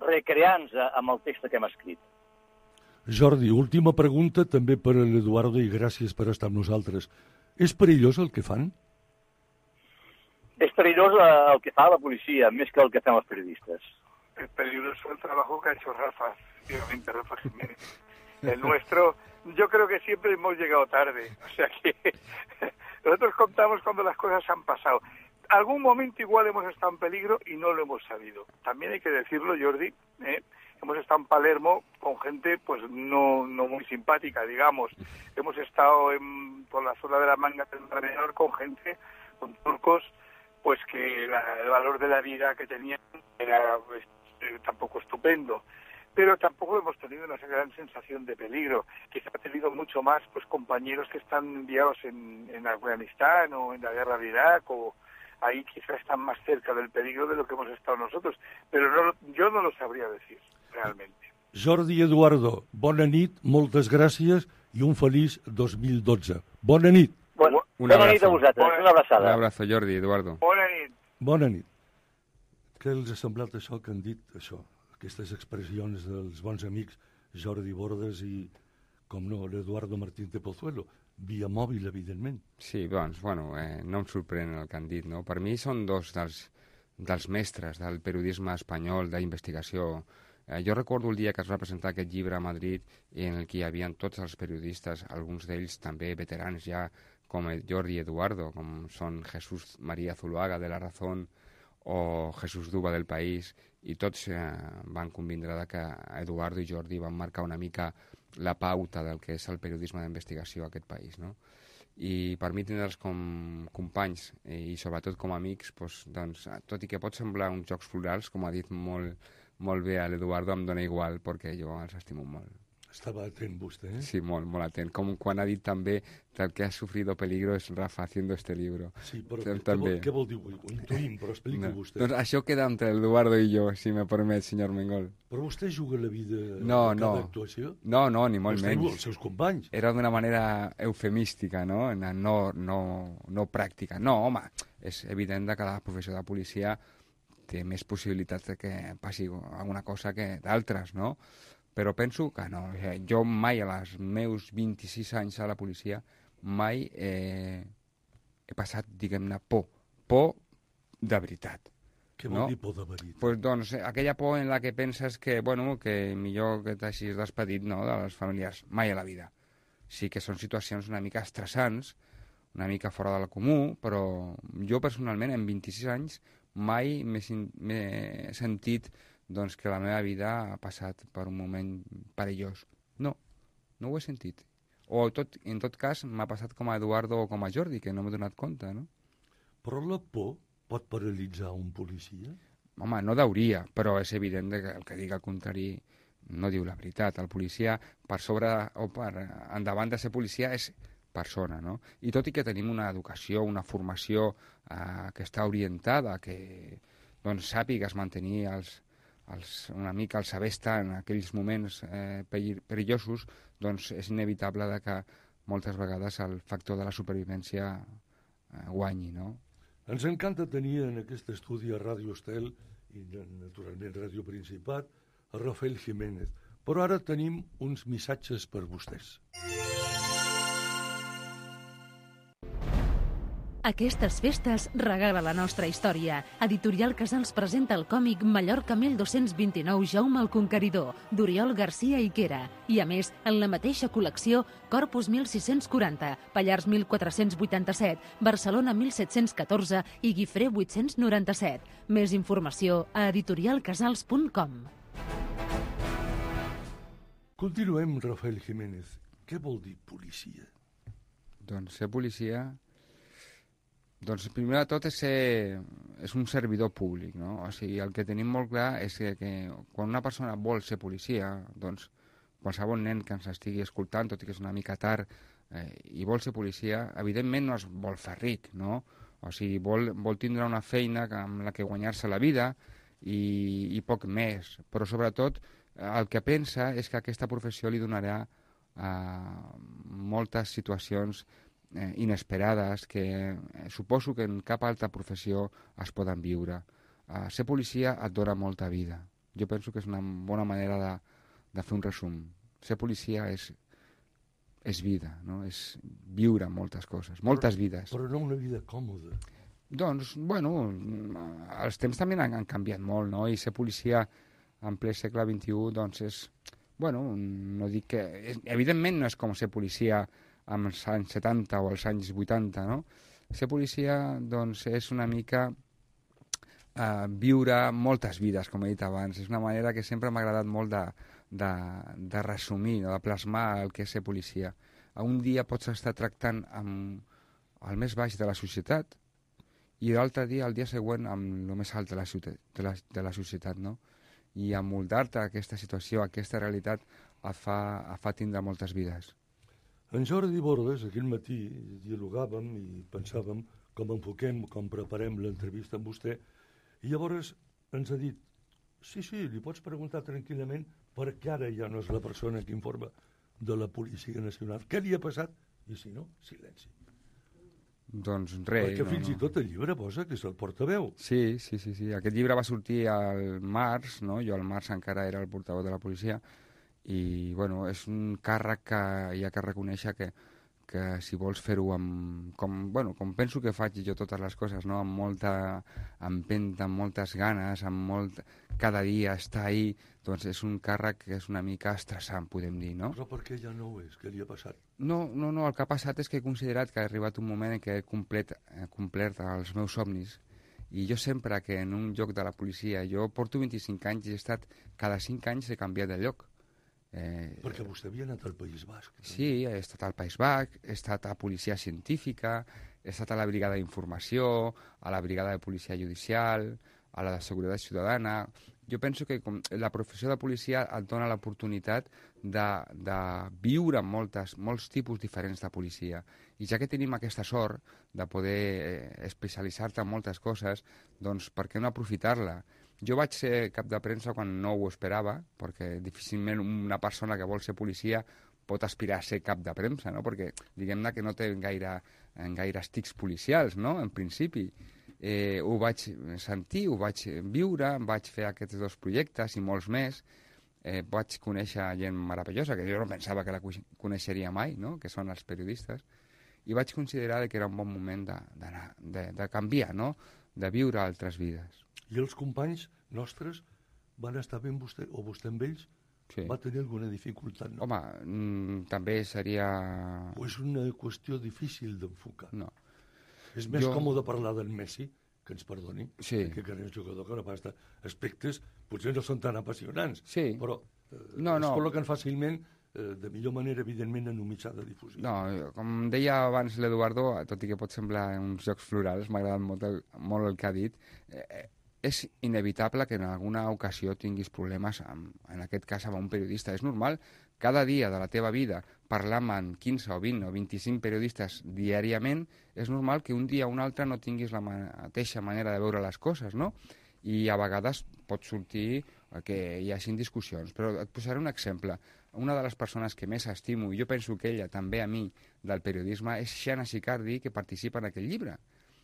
recrear-nos amb el text que hem escrit.
Jordi, última pregunta també per a l'Eduardo i gràcies per estar amb nosaltres. És perillós el que fan?
És perillós el que fa la policia, més que el que fem els periodistes.
Es peligroso el trabajo que ha hecho Rafa, efectivamente, Rafa Jiménez. El nuestro, yo creo que siempre hemos llegado tarde. O sea que nosotros contamos cuando las cosas han pasado. Algún momento igual hemos estado en peligro y no lo hemos sabido. También hay que decirlo, Jordi, hemos estado en Palermo con gente pues no muy simpática, digamos. Hemos estado por la zona de la Manga Menor con gente, con turcos, pues que el valor de la vida que tenían era tampoco estupendo. Pero tampoco hemos tenido una gran sensación de peligro. Quizá ha tenido mucho más pues compañeros que están enviados en Afganistán o en la guerra de Irak, o ahí quizá están más cerca del peligro de lo que hemos estado nosotros. Pero yo no lo sabría decir, realmente.
Jordi i Eduardo, bona nit, moltes gràcies i un feliç 2012. Bona nit.
Bona nit a vosaltres, una abraçada.
Un abrazo, Jordi, Eduardo.
Bona nit.
Bona nit. Què els ha semblat això que han dit, això? Aquestes expressions dels bons amics Jordi Bordes i, com no, l'Eduardo Martín de Pozuelo, via mòbil, evidentment.
Sí, doncs, bueno, no em sorprèn el que han dit, no? Per mi són dos dels mestres del periodisme espanyol, d'investigació. Jo recordo el dia que es va presentar aquest llibre a Madrid en el que hi havia tots els periodistes, alguns d'ells també veterans ja, com Jordi i Eduardo, com són Jesús María Zuluaga de La Razón o Jesús Duba del País, i tots van convindre que Eduardo i Jordi van marcar una mica la pauta del que és el periodisme d'investigació a aquest país, no? I per mi tindre'ls com companys i sobretot com amics, doncs, tot i que pot semblar uns jocs florals, com ha dit molt bé l'Eduardo, em dona igual, perquè jo els estimo molt.
Estava atent vostè, eh?
Sí, molt, molt atent. Com quan ha dit també que el que ha sufrido peligro és Rafa haciendo este libro.
Sí, però què vol dir? Ho intuïm, però expliqui vostè.
Doncs això queda entre l'Eduardo i jo, si me permet, senyor Mengol.
Però vostè juga la vida de
cada
actuació?
No, ni molt menys.
Vostè els seus companys.
Era d'una manera eufemística, no? No pràctica. No, home, és evident que la professió de policia té més possibilitats de que passi alguna cosa que d'altres, no? Però penso que no. Jo mai, als meus 26 anys a la policia, mai he passat, diguem-ne, por de veritat.
Què vol dir por de veritat?
Pues, doncs, aquella por en la que penses que, bueno, que millor que t'hagis despedit, no?, de les familiars. Mai a la vida. Sí que són situacions una mica estressants, una mica fora del comú, però jo personalment, en 26 anys, mai m'he sentit doncs, que la meva vida ha passat per un moment perillós. No ho he sentit. O en tot cas m'ha passat com a Eduardo o com a Jordi, que no m'he donat compte, no?
Però la por pot paralitzar un policia?
Home, no deuria, però és evident que el que diga el contrari no diu la veritat. El policia, per sobre o per endavant de ser policia, és persona, no? I tot i que tenim una educació, una formació que està orientada, que doncs, sàpigues mantenir una mica el saber estar en aquells moments perillosos, doncs és inevitable que moltes vegades el factor de la supervivència guanyi, no?
Ens encanta tenir en aquest estudi a Ràdio Estel i naturalment Ràdio Principat a Rafael Jiménez, però ara tenim uns missatges per vostès.
Aquestes festes regala la nostra història. Editorial Casals presenta el còmic Mallorca 1229 Jaume el Conqueridor, d'Oriol Garcia i Quera. I a més, en la mateixa col·lecció, Corpus 1640, Pallars 1487, Barcelona 1714 i Guifré 897. Més informació a editorialcasals.com.
Continuem, Rafael Jiménez. Què vol dir policia?
Doncs ser policia... Doncs primer de tot és un servidor públic, no? O sigui, el que tenim molt clar és que quan una persona vol ser policia, doncs qualsevol nen que ens estigui escoltant, tot i que és una mica tard, i vol ser policia, evidentment no es vol fer ric, no? O sigui, vol tindre una feina amb la que guanyar-se la vida i poc més. Però sobretot el que pensa és que aquesta professió li donarà moltes situacions inesperades que suposo que en cap altra professió es poden viure. Ser policia et dona molta vida. Jo penso que és una bona manera de fer un resum. Ser policia és vida, no? És viure moltes coses, moltes vides.
Però no una vida còmoda.
Doncs, bueno, els temps també han canviat molt, no? I ser policia en ple segle XXI, doncs és... Bueno, no dic que... Evidentment no és com ser policia als anys 70 o als anys 80, no? Ser policia, doncs, és una mica viure moltes vides, com he dit abans. És una manera que sempre m'ha agradat molt de resumir, no? De plasmar el que és ser policia. Un dia pots estar tractant amb el més baix de la societat i l'altre dia, el dia següent, amb el més alt de la societat, no? I amoldar-te a aquesta situació, a aquesta realitat, et fa tindre moltes vides.
En Jordi Bordes, aquell matí, dialogàvem i pensàvem com enfoquem, com preparem l'entrevista amb vostè, i llavors ens ha dit, sí, li pots preguntar tranquil·lament perquè ara ja no és la persona que informa de la Policia Nacional. Què li ha passat? I si no, silenci.
Doncs res.
Perquè fins i tot el llibre posa que és el portaveu.
Sí. Aquest llibre va sortir al març, no? Jo al març encara era el portaveu de la policia, i bueno, és un càrrec que hi ha que reconèixer que si vols fer-ho com penso que faig jo totes les coses, no? Amb molta empenta, amb moltes ganes, cada dia estar ahí, doncs és un càrrec que és una mica estressant, podem dir, no?
Però per què ja no ho és? Què li ha passat?
No, el que ha passat és que he considerat que ha arribat un moment en què he complert els meus somnis. I jo sempre que en un lloc de la policia, jo porto 25 anys i he estat, cada 5 anys he canviat de lloc.
Perquè vostè havia anat al País Basc. No?
Sí, he estat al País Basc, he estat a Policia Científica, he estat a la Brigada d'Informació, a la Brigada de Policia Judicial, a la de Seguretat Ciutadana. Jo penso que la professió de policia et dona l'oportunitat de viure molts tipus diferents de policia. I ja que tenim aquesta sort de poder especialitzar-te en moltes coses, doncs per què no aprofitar-la? Jo vaig ser cap de premsa quan no ho esperava, perquè difícilment una persona que vol ser policia pot aspirar a ser cap de premsa, no? Perquè diguem-ne que no té gaire tics policials, no? En principi. ho vaig sentir, ho vaig viure, vaig fer aquests 2 projectes i molts més. Vaig conèixer gent meravellosa, que jo no pensava que la coneixeria mai, no? Que són els periodistes, i vaig considerar que era un bon moment de canviar, no? De viure altres vides.
I els companys nostres van estar bé amb vostè, o vostè amb ells?
Sí.
Va tenir alguna dificultat? No?
Home, també seria...
O és una qüestió difícil d'enfocar?
No.
És més còmode parlar del Messi, que ens perdoni,
sí.
que és un jugador que abasta aspectes potser no són tan apassionants,
sí.
però es col·loquen fàcilment, de millor manera, evidentment, en un mitjà de difusió.
No, com deia abans l'Eduardo, tot i que pot semblar uns jocs florals, m'ha agradat molt el que ha dit, és inevitable que en alguna ocasió tinguis problemes, en aquest cas amb un periodista. És normal, cada dia de la teva vida, parlar amb 15 o 20 o 25 periodistes diàriament, és normal que un dia o un altre no tinguis la mateixa manera de veure les coses, no? I a vegades pot sortir que hi hagin discussions. Però et posaré un exemple. Una de les persones que més estimo, i jo penso que ella també a mi, del periodisme, és Xana Sicardi, que participa en aquest llibre.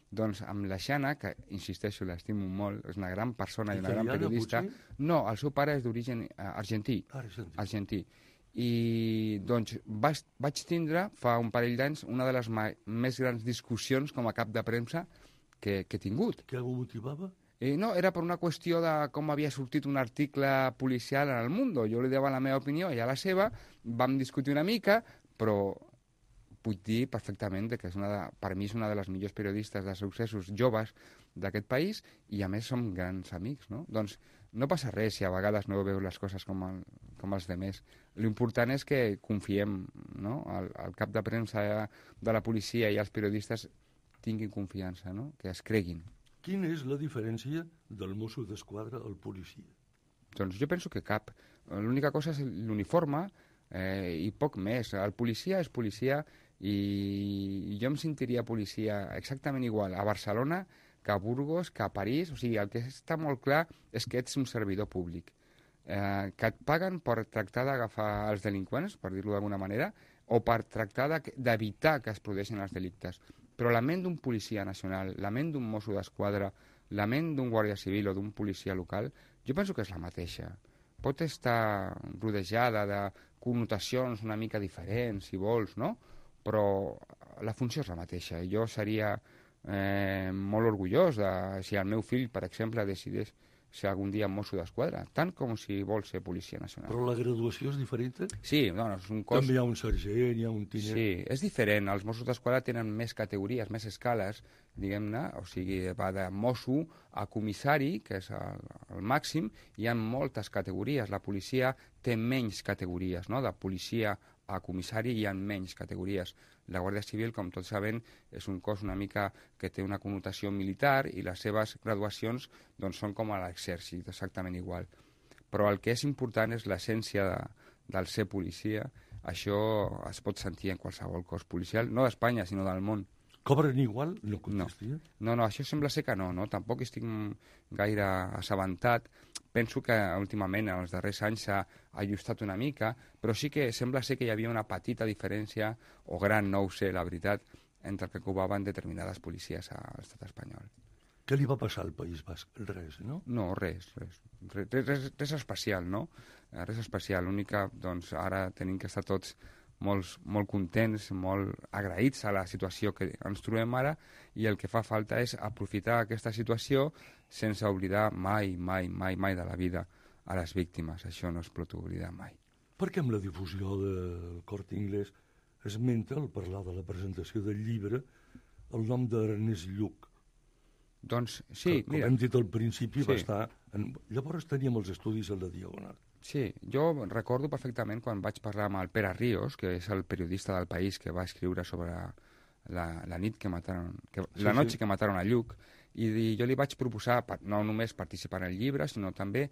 Doncs amb la Xana, que insisteixo, l'estimo molt, és una gran persona i una gran periodista. No, el seu pare és d'origen argentí. Argentí. I doncs vaig tindre fa un parell d'anys una de les més grans discussions com a cap de premsa que he tingut.
Què ho motivava?
No, era per una qüestió de com havia sortit un article policial en el Mundo. Jo li dava la meva opinió, ella la seva, vam discutir una mica, però puc dir perfectament que per mi és una de les millors periodistes de successos joves d'aquest país i a més som grans amics, no? Doncs no passa res si a vegades no veu les coses com els demés. L'important és que confiem, no? El cap de premsa de la policia i els periodistes tinguin confiança, no? Que es creguin.
Quina és la diferència del Mosso d'Esquadra al policia?
Doncs jo penso que cap. L'única cosa és l'uniforme i poc més. El policia és policia i jo em sentiria policia exactament igual a Barcelona que a Burgos, que a París. O sigui, el que està molt clar és que ets un servidor públic, que et paguen per tractar d'agafar els delinqüents, per dir-ho d'alguna manera, o per tractar d'evitar que es produeixin els delictes. Però la ment d'un policia nacional, la ment d'un Mosso d'Esquadra, la ment d'un guàrdia civil o d'un policia local, jo penso que és la mateixa. Pot estar rodejada de connotacions una mica diferents, si vols, no? Però la funció és la mateixa. Jo seria molt orgullós si el meu fill, per exemple, decidís ser algun dia Mosso d'Esquadra, tant com si vol ser policia nacional.
Però la graduació és diferent?
Sí, no, és un cos...
També hi ha un sergent, hi ha un tinent...
Sí, és diferent. Els Mossos d'Esquadra tenen més categories, més escales, diguem-ne, o sigui, va de mosso a comissari, que és el màxim, hi ha moltes categories. La policia té menys categories, no? De policia a comissari hi ha menys categories. La Guàrdia Civil, com tots sabem, és un cos una mica que té una connotació militar i les seves graduacions doncs, són com a l'exèrcit, exactament igual. Però el que és important és l'essència del ser policia. Això es pot sentir en qualsevol cos policial, no d'Espanya, sinó del món.
Cobren igual? No contestia?
No, això sembla ser que no. Tampoc estic gaire assabentat. Penso que últimament, en els darrers anys, s'ha ajustat una mica, però sí que sembla ser que hi havia una petita diferència, o gran, no ho sé, la veritat, entre el que cobraven determinades policies a l'estat espanyol.
Què li va passar al País Basc? Res, no?
No, res especial, no? Res especial. L'únic que, doncs, ara tenim que estar tots molt contents, molt agraïts a la situació que ens trobem ara, i el que fa falta és aprofitar aquesta situació sense oblidar mai de la vida a les víctimes. Això no es pot oblidar mai.
Per què amb la difusió del Corte Inglés esmenta, al parlar de la presentació del llibre, el nom d'Ernest Lluch?
Doncs sí,
com hem dit al principi, va estar... Llavors teníem els estudis a la Diagonal.
Sí, jo recordo perfectament quan vaig parlar amb el Pere Ríos, que és el periodista del País que va escriure sobre la nit que mataron, la noche que mataron a Lluch, i jo li vaig proposar no només participar en el llibre, sinó també,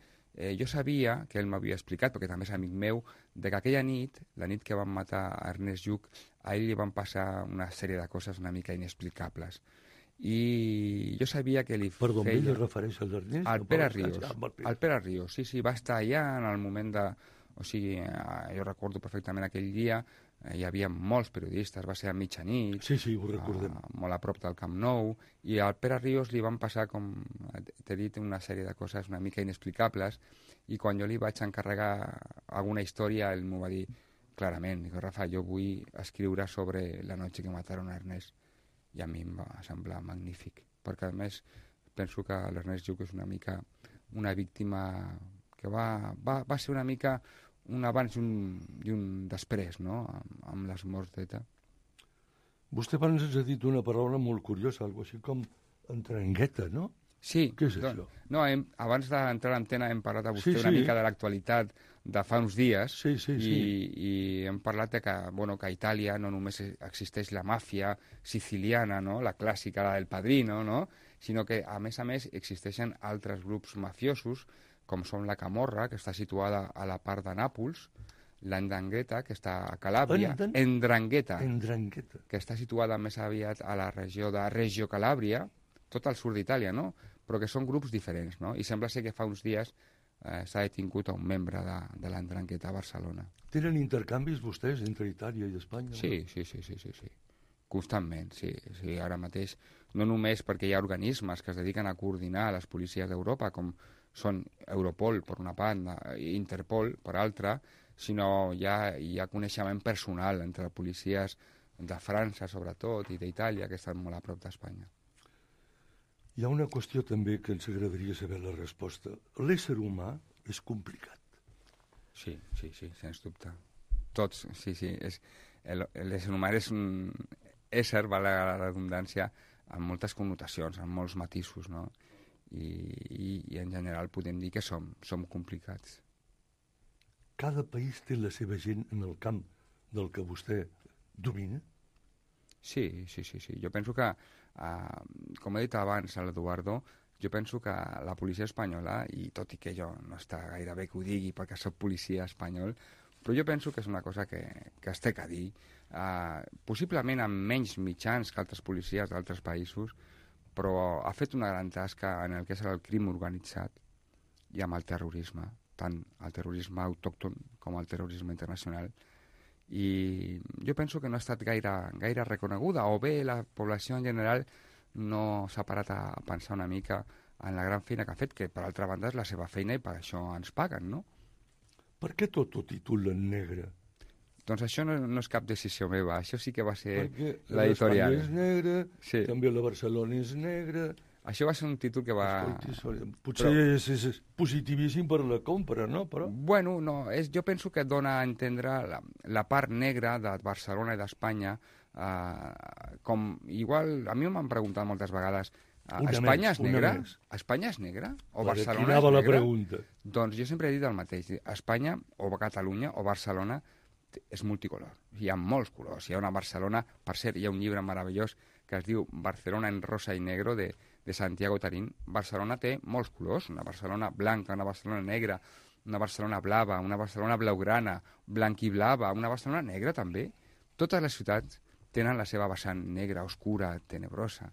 jo sabia, que ell m'havia explicat, perquè també és amic meu, de que aquella nit, la nit que van matar a Ernest Lluch, a ell li van passar una sèrie de coses una mica inexplicables. I jo sabia que li
feia... Perdó, ell es refereix a l'Ernest?
Al Pere Ríos. Al Pere Ríos, sí, va estar allà en el moment de... O sigui, jo recordo perfectament aquell dia, hi havia molts periodistes, va ser a mitjanit,
Sí, ho recordem.
molt a prop del Camp Nou, i al Pere Ríos li van passar, com t'he dit, una sèrie de coses una mica inexplicables, i quan jo li vaig encarregar alguna història, ell m'ho va dir clarament, dic, Rafa, jo vull escriure sobre la noche que mataron a Ernest, i a mi em va semblar magnífic, perquè a més penso que l'Ernest Lluch és una mica una víctima que va ser una mica un abans i un després, no?, amb les morts d'ETA.
Vostè abans ens ha dit una paraula molt curiosa, algo així com entrangueta, no?
Sí.
Què és això?
No, abans d'entrar a l'antena hem parlat a vostè una mica de l'actualitat de fa uns dies i hem parlat de que, bueno, que a Itàlia no només existeix la màfia siciliana, no?, la clàssica, la del Padrino, no?, sinó que, a més, existeixen altres grups mafiosos, com són la Camorra, que està situada a la part de Nàpols, l'Ndrangheta, que està a Calàbria, Ndrangheta, que està situada més aviat a la regió de Reggio Calàbria, tot al sud d'Itàlia, no?, però que són grups diferents, no?, i sembla ser que fa uns dies s'ha detingut a un membre de l'Ndrangheta a Barcelona.
Tenen intercanvis vostès entre Itàlia i Espanya?
Sí. Constantment, sí. Ara mateix, no només perquè hi ha organismes que es dediquen a coordinar les policies d'Europa, com són Europol, per una part, i Interpol, per altra, sinó hi ha coneixement personal entre policies de França, sobretot, i d'Itàlia, que estan molt a prop d'Espanya.
Hi ha una qüestió també que ens agradaria saber la resposta. L'ésser humà és complicat.
Sí, sens dubte. Tots, sí. L'ésser humà és un ésser, val la redundància, amb moltes connotacions, amb molts matisos, no? I en general podem dir que som complicats.
Cada país té la seva gent en el camp del que vostè domina?
Sí. Jo penso que, com he dit abans a l'Eduardo, jo penso que la policia espanyola, i tot i que jo no està gaire bé que ho digui perquè soc policia espanyol, però jo penso que és una cosa que es té que dir, possiblement amb menys mitjans que altres policies d'altres països, però ha fet una gran tasca en el que és el crim organitzat i amb el terrorisme, tant el terrorisme autòcton com el terrorisme internacional. I jo penso que no ha estat gaire reconeguda, o bé la població en general no s'ha parat a pensar una mica en la gran feina que ha fet, que per altra banda és la seva feina i per això ens paguen, no?
Per què tot ho titulen negre?
Doncs això no és cap decisió meva, això sí que va ser
Perquè
l'editorial.
l'Espanya és negra, també la Barcelona és negra...
Això va ser un títol que va...
Potser és positivíssim per la compra, no? Però...
Bueno, no, jo penso que dona a entendre la part negra de Barcelona i d'Espanya, com igual, a mi m'han preguntat moltes vegades, Espanya és negra? Espanya és negra? O Barcelona és negra?
La pregunta.
Doncs jo sempre he dit el mateix, Espanya o Catalunya o Barcelona és multicolor, hi ha molts colors, hi ha una Barcelona, per cert, hi ha un llibre meravellós que es diu Barcelona en rosa i negro de Santiago Tarín. Barcelona té molts colors, una Barcelona blanca, una Barcelona negra, una Barcelona blava, una Barcelona blaugrana, blanquiblava, una Barcelona negra també. Totes les ciutats tenen la seva vessant negra, oscura, tenebrosa.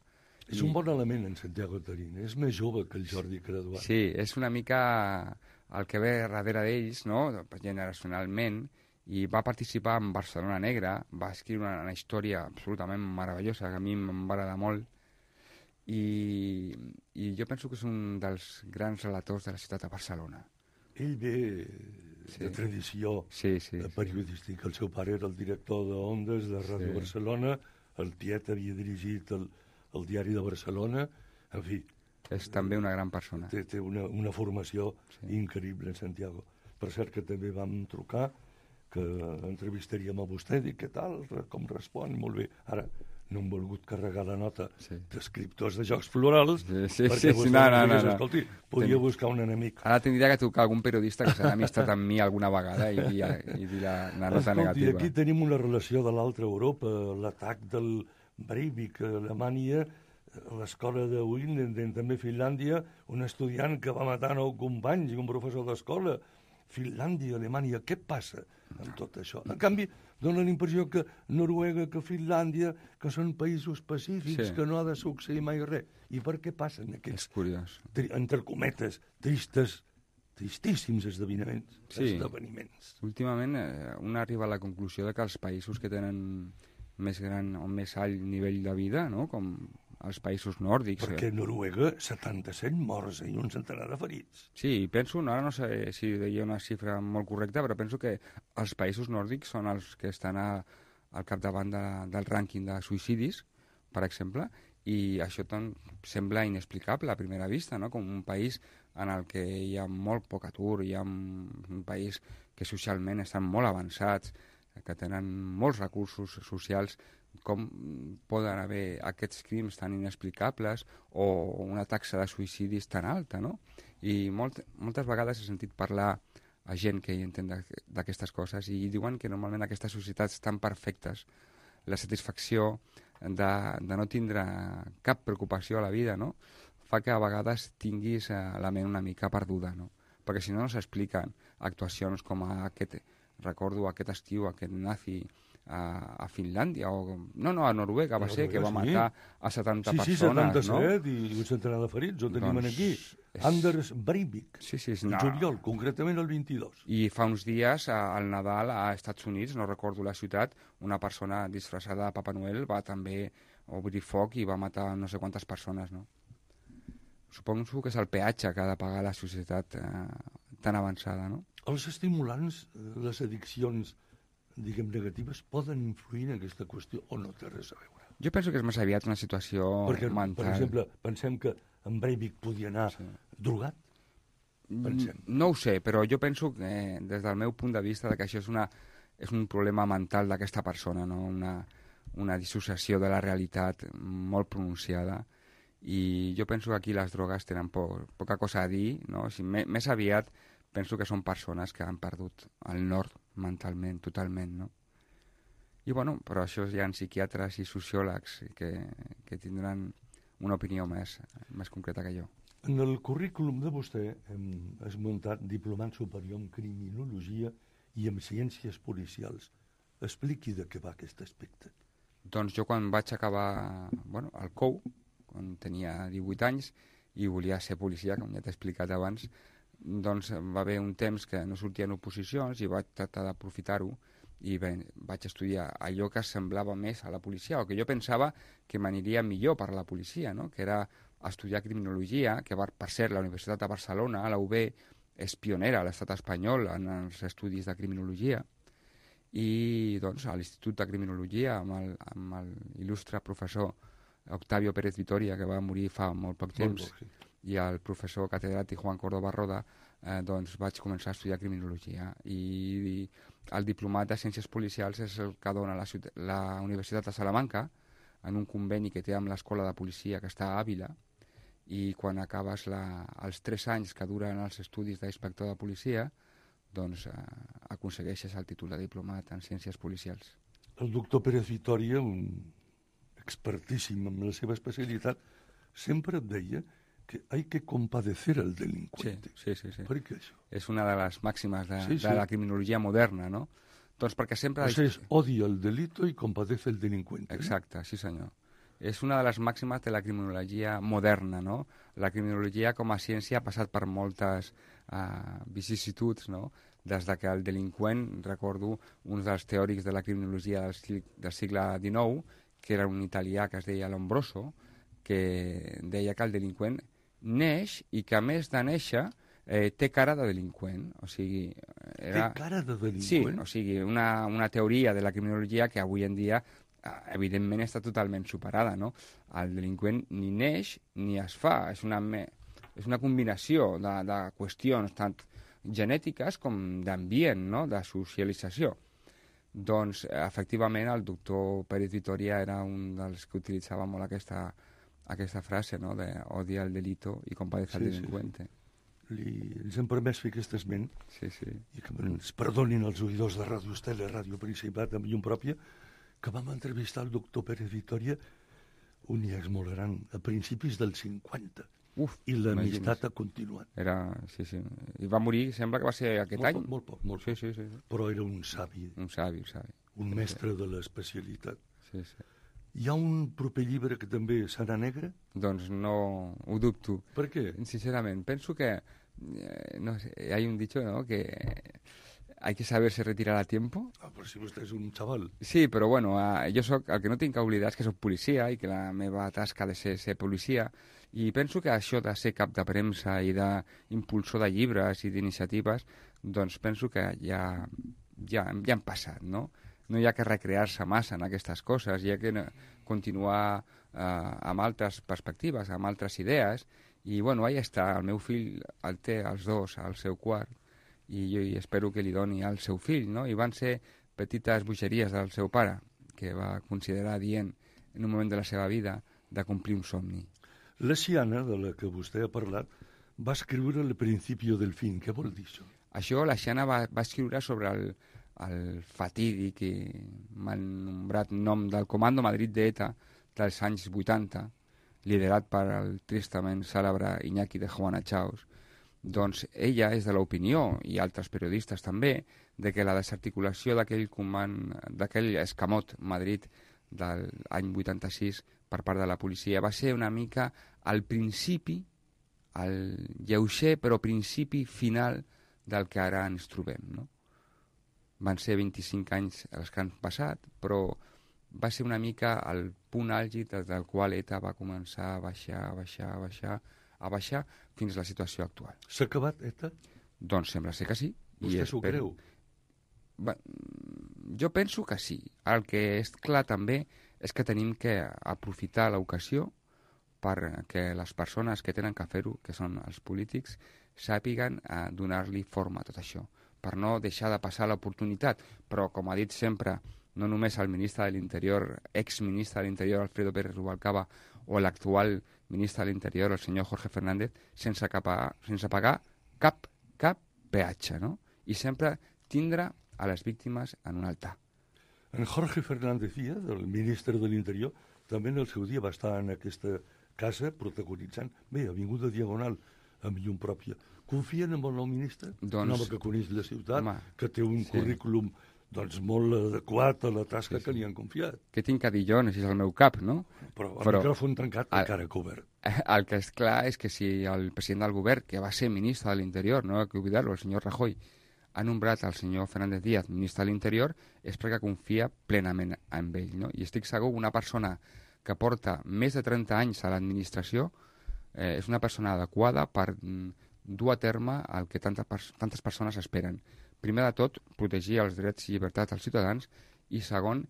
És un bon element en Santiago Tarín, és més jove que el Jordi Graduat.
Sí, és una mica el que ve darrere d'ells, no?, generacionalment, i va participar en Barcelona Negra, va escriure una història absolutament meravellosa, que a mi em va agradar molt, i jo penso que és un dels grans relators de la ciutat de Barcelona.
Ell ve de tradició periodística. El seu pare era el director d'Ondes de Ràdio Barcelona, el tiet havia dirigit el Diari de Barcelona, en fi...
És també una gran persona.
Té una formació increïble en Santiago. Per cert que també vam trucar, que entrevistaríem a vostè, dic, què tal, com respon, molt bé. Ara, no hem volgut carregar la nota d'escriptors de Jocs Florals, perquè vostè digués, escolti, podia buscar un enemic.
Ara tindria que trucar algun periodista que s'ha amistat amb mi alguna vegada i dir la nota negativa.
Escolti, aquí tenim una relació de l'altra Europa, l'atac del Breivik a Alemanya, a l'escola de Winden, també a Finlàndia, un estudiant que va matar 9 companys i un professor d'escola. Finlàndia, Alemanya, què passa amb tot això? En canvi, dona la impressió que Noruega, que Finlàndia, que són països pacífics, que no ha de succeir mai res. I per què passen aquests, entre cometes, tristes tristíssims esdeveniments.
Sí. Últimament un arriba a la conclusió de que els països que tenen més gran o més alt nivell de vida, no? Com els països nòrdics.
Perquè a Noruega 77 morts i un centenar de ferits.
Sí, penso, ara no sé si deia una xifra molt correcta, però penso que els països nòrdics són els que estan al capdavant del rànquing de suïcidis, per exemple, i això sembla inexplicable a primera vista, no? Com un país en el que hi ha molt poc atur, hi ha un país que socialment estan molt avançats, que tenen molts recursos socials, com poden haver aquests crims tan inexplicables o una taxa de suïcidis tan alta, no? I moltes vegades he sentit parlar a gent que hi entén d'aquestes coses i diuen que normalment aquestes societats tan perfectes, la satisfacció de no tindre cap preocupació a la vida, no? Fa que a vegades tinguis la ment una mica perduda, no? Perquè si no s'expliquen actuacions com recordo aquest estiu, aquest nazi a Finlàndia, a Noruega va ser, que va matar a 70 persones,
77, no? I un centenar de ferits, ho tenim aquí. Anders Breivik, juliol, concretament el 22.
I fa uns dies, al Nadal, a Estats Units, no recordo la ciutat, una persona disfressada de Papa Noel va també obrir foc i va matar no sé quantes persones, no? Suposo que és el peatge que ha de pagar la societat tan avançada, no?
Els estimulants, les addiccions, diguem, negatives, poden influir en aquesta qüestió o no té res a veure?
Jo penso que és més aviat una situació mental.
Per exemple, pensem que en Breivik podia anar drogat? Pensem.
No ho sé, però jo penso que des del meu punt de vista que això és un problema mental d'aquesta persona, no? Una dissociació de la realitat molt pronunciada, i jo penso que aquí les drogues tenen poca cosa a dir, no? Més aviat penso que són persones que han perdut el nord mentalment, totalment, no? I bueno, però això hi ha psiquiatres i sociòlegs que tindran una opinió més concreta que jo.
En el currículum de vostè hem esmentat diplomat superior en criminologia i en ciències policials. Expliqui de què va aquest aspecte.
Doncs jo quan vaig acabar el COU, quan tenia 18 anys, i volia ser policia, com ja t'he explicat abans, doncs va haver un temps que no sortien oposicions i vaig tractar d'aprofitar-ho i vaig estudiar allò que semblava més a la policia, o que jo pensava que m'aniria millor per a la policia, no? Que era estudiar criminologia, que per cert la Universitat de Barcelona, la UB, és pionera a l'estat espanyol en els estudis de criminologia, i doncs a l'Institut de Criminologia amb l'il·lustre professor Octavio Pérez Vitoria, que va morir fa molt poc temps, i el professor catedràtic Juan Córdoba Roda, doncs vaig començar a estudiar criminologia. I el diplomat de Ciències Policials és el que dona la Universitat de Salamanca, en un conveni que té amb l'Escola de Policia que està a Àvila, i quan acabes els 3 anys que duren els estudis d'inspector de policia, doncs aconsegueixes el títol de diplomat en Ciències Policials.
El doctor Pérez Vitoria, un expertíssim en la seva especialitat, sempre et deia que hay que compadecer al delincuente.
Sí.
Per què això?
És una de les màximes de la criminologia moderna, no? Doncs perquè sempre...
Pues odia el delito y compadece el delincuente.
Exacte, sí senyor. És una de les màximes de la criminologia moderna, no? La criminologia com a ciència ha passat per moltes vicissituds, no? Des de que el delinqüent, recordo un dels teòrics de la criminologia del segle XIX, que era un italià que es deia Lombroso, que deia que el delinqüent neix i que a més de néixer té cara de delinqüent. O sigui,
té cara de delinqüent?
Sí, o sigui, una teoria de la criminologia que avui en dia evidentment està totalment superada, no? El delinqüent ni neix ni es fa, és una combinació de qüestions tant genètiques com d'ambient, no? De socialització. Doncs, efectivament, el doctor Pérez Vitoria era un dels que utilitzava molt aquesta frase, no?, de odia el delito i compadece el delincuente.
Ens hem permès fer aquest esment,
i
que ens perdonin els oïdors de Ràdio Estel i Ràdio Principat amb llum pròpia, que vam entrevistar el doctor Pérez Vitoria, un iex molt gran, a principis dels 50. I l'amistat ha continuat.
Sí. I va morir, sembla que va ser aquest any.
Molt poc. Sí. Però era un savi.
Un savi.
Un mestre de l'especialitat.
Sí.
Hi ha un proper llibre que també serà negre?
Doncs no ho dubto.
Per què?
Sincerament, penso que no sé, hay un dicho, ¿no?, que hay que saberse retirar a tiempo.
Però si vostè és un xaval.
Sí, però bueno, jo soc, el que no tinc que oblidar és que soc policia i que la meva tasca ha de ser policia, i penso que això de ser cap de premsa i d'impulsor de llibres i d'iniciatives, doncs penso que ja han passat, no? No hi ha que recrear-se massa en aquestes coses, hi ha que continuar amb altres perspectives, amb altres idees, i bueno, ahí està, el meu fill el té els dos al seu quart, i jo espero que li doni al seu fill, no? I van ser petites bogeries del seu pare, que va considerar dient en un moment de la seva vida de complir un somni.
La Xiana, de la que vostè ha parlat, va escriure El principio del fin. Què vol dir això?
Això la Xiana va escriure sobre el fatídic i mal nombrat nom del Comando Madrid d'ETA dels anys 80, liderat per el tristament cèlebre Iñaki de Juana Chaos. Doncs ella és de l'opinió, i altres periodistes també, de que la desarticulació d'aquell escamot Madrid de l'any 86 per part de la policia va ser una mica al principi, el lleuger però principi final del que ara ens trobem, no? Van ser 25 anys els que han passat, però va ser una mica el punt àlgid des del qual ETA va començar a baixar fins a la situació actual.
S'ha acabat ETA?
Doncs sembla ser que sí.
Vostè s'ho creu?
Jo penso que sí. El que és clar també és que tenim que aprofitar l'ocasió perquè les persones que tenen que fer-ho, que són els polítics, sàpiguen donar-li forma a tot això, per no deixar de passar l'oportunitat. Però, com ha dit sempre, no només el ministre de l'Interior, exministre de l'Interior, Alfredo Pérez Rubalcaba, o l'actual ministre de l'Interior, el senyor Jorge Fernández, sense pagar cap peatge, no? I sempre tindre a les víctimes en un altar.
En Jorge Fernández Díaz, el ministre de l'Interior, també en el seu dia va estar en aquesta casa protagonitzant, bé, Avinguda Diagonal, amb llum pròpia. Confien en el nou ministre?
Doncs,
un home que coneix la ciutat,
home,
que té un currículum doncs, molt adequat a la tasca que li han confiat.
Què tinc a dir jo? No sé si és el meu cap, no?
Però el micròfon tancat encara que obert.
El que és clar és que si el president del govern, que va ser ministre de l'Interior, no hay que oblidar-lo, el senyor Rajoy, ha nombrat el senyor Fernández Díaz ministre de l'Interior, és perquè confia plenament en ell, no? I estic segur que una persona que porta més de 30 anys a l'administració és una persona adequada per dur a terme el que tantes persones esperen. Primer de tot, protegir els drets i llibertats dels ciutadans, i segon,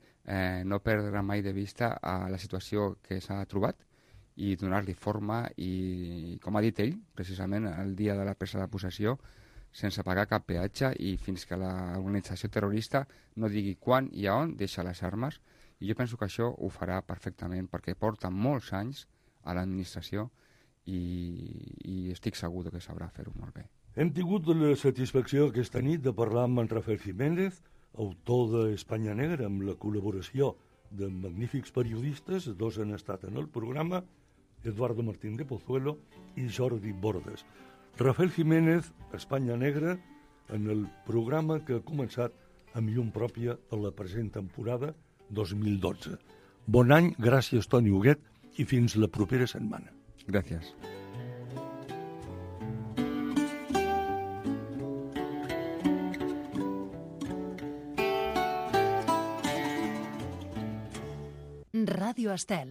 no perdre mai de vista la situació que s'ha trobat i donar-li forma i, com ha dit ell, precisament el dia de la presa de possessió, sense pagar cap peatge, i fins que l'organització terrorista no digui quan i a on deixa les armes. I jo penso que això ho farà perfectament, perquè porta molts anys a l'administració i estic segur que sabrà fer-ho molt bé.
Hem tingut la satisfacció aquesta nit de parlar amb en Rafael Jiménez, autor d'Espanya Negra, amb la col·laboració de magnífics periodistes, dos han estat en el programa, Eduardo Martín de Pozuelo i Jordi Bordes. Rafael Jiménez, Espanya Negra, en el programa que ha començat amb llum pròpia a la present temporada 2012. Bon any, gràcies Toni Huguet, i fins la propera setmana.
Gràcies.
Ràdio Estel.